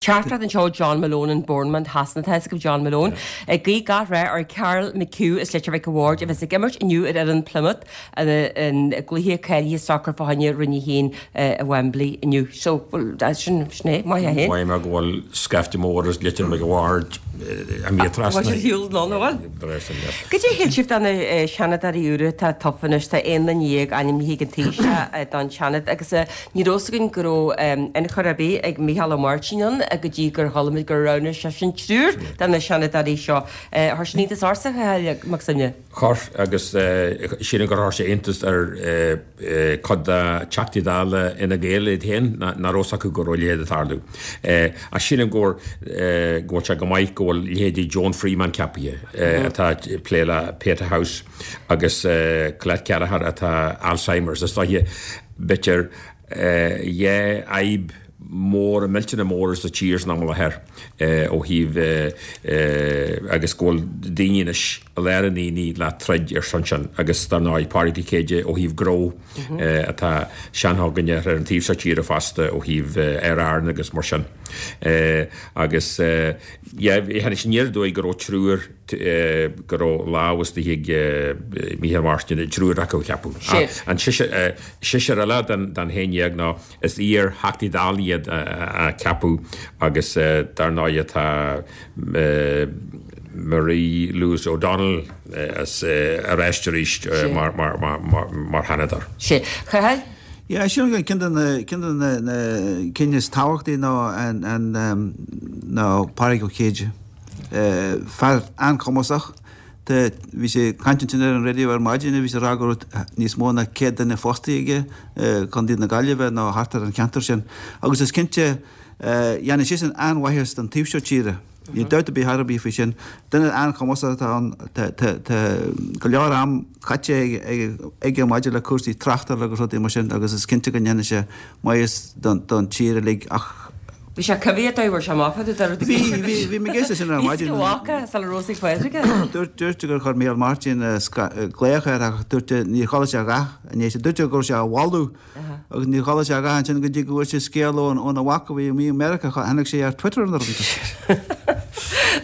Teachtaireacht anseo ó John Malone in Bournemouth Shasana. Tá a fhios agaibh John Malone. Ag guí gach rath ar Karl McHugh as Leitir Mhic a' Bhaird a bheas ag imirt inniu ar fhoireann Plymouth i gcluiche cáilithe sacair fá choinne Roinn 1 i Wembley inniu. So, bhuel, sin sin é. Maith é féin. Mhaígh mé go bhfuil scaifte mór as Leitir Mhic a' Bhaird imithe trasna. Bhfuil siad ar shiúl anonn, an bhfuil? Goidé a shíl sibh de na Seanadóirí úra atá tofa anois? Tá 11 duine ainmnithe ag an Taoiseach don Seanad agus Ní raibh fhios againn go raibh ionchur ar bith ag Micheál Ó Máirtín ann go dtí gur chuala muid gur roghnaigh seisean triúr de na Seanadóirí seo. Chuir sin iontas ortsa, a Chathail Mac Suibhne? Chuir, agus sílim gur chuir sé iontas ar chuid de Theachtaí Dála Fhine Gael iad féin, nach raibh fhios acu go raibh a leithéid ag tarlú. Ach sílim go bhfuil sé go maith go bhfuil leithéidí Joan Freeman ceapaithe, atá ag plé le Pieta House, agus Colette Kelleher atá Alzheimer's. Is dóiche b'fhéidir dhá fhadhb mhóra, millteanna móra sa tír san am i láthair ó thaobh agus go bhfuil daoine anois i lár an aonaigh le troid ar son sin agus dar ndóigh Pádraig Ó Céide ó thaobh gnó atá seanfhogaine ar an taobh seo tíre fosta ó thaobh Aer Arann agus mar sin agus yeah tháinig sé aniar aduaidh go raibh triúr go raibh lámh istigh ag Micheál Martin i dtriúr acu a cheapadh. An seisear eile den 11 ná is iar-Theachtaí Dála iad a ceapadh agus dar ndóigh tá Marie Louise O'Donnell ar ais arís mar Sheanadóir. Sea. Cathal? Yeah, sin ceann de na ceann de na cinn is tábhachtaí ná an ná Pádraig Ó Céide. Fear an-chumasach. Bhí sé ag caint ansin ar an raidió ar maidin bhí sé ag rá go raibh níos mó ná 100 duine fostaithe aige i gContae na Gaillimhe nó thart ar an cheantar sin. Agus is cinnte, dhéanfaidh seisean an-mhaitheas don taobh seo tíre. Níl dabht ar bith ar bith faoi sin. Duine an-chumasach atá ann. Tá go leor am caite aige maidir le cúrsaí tráchtála agus rudaí mar sin agus is cinnte go ndéanfaidh sé maitheas don tír uilig ach Bhí sé coimhthíoch dóibh, bhfuair sé amach fá dtaobh de. Bhí, bhí, bhí mé ag éisteacht sin ar maidin. Bhí mhac sula raibh sé ag Pádraig. Dúirt, dúirt gur chuir Micheál Martin glaoch air ach dúirt níor chuala sé a dhath inné. Dúirt sé go raibh sé á mholadh agus níor chuala sé a dhath ansin go dtí go bhfuair sé scéal óna mhac a bhí amuigh i Meiriceá, tháinig sé ar Twitter an rud.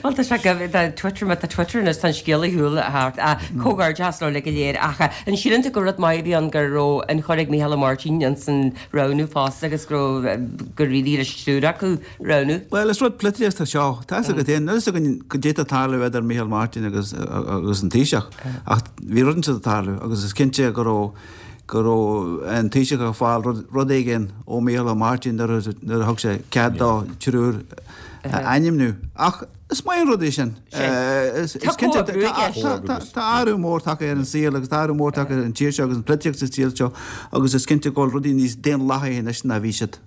Bhuel tá sé go, tá Twitter, má tá Twitter anois tá an scéal ar shiúl thart. Comhghairdeas leo uilig go léir ach an síleann tú gur rud maith a bhí ann go raibh ionchur ag Micheál Ó Máirtín ins an roghnú fosta agus go raibh gur éirigh leis triúr acu a roghnú. Bhuel, is rud polaitíochta seo. Tá fhios agat féin, níl fhios againn goidé atá ag tarlú idir Micheál Martin agus agus an Taoiseach ach bhí rud inteacht ag tarlú agus is cinnte go raibh go raibh an Taoiseach ag fáil rud rud éigin ó Micheál Ó Máirtín nuair a nuair a thug sé cead dó triúr a ainmniú. Ach Is maith an rud é sin. Is cinnte tá athrú mór tagtha ar an saol agus tá athrú mór tagtha ar an tír seo agus an polaitíocht sa tír seo agus is cinnte go bhfuil rudaí níos daonlathaí anois ná bhí siad.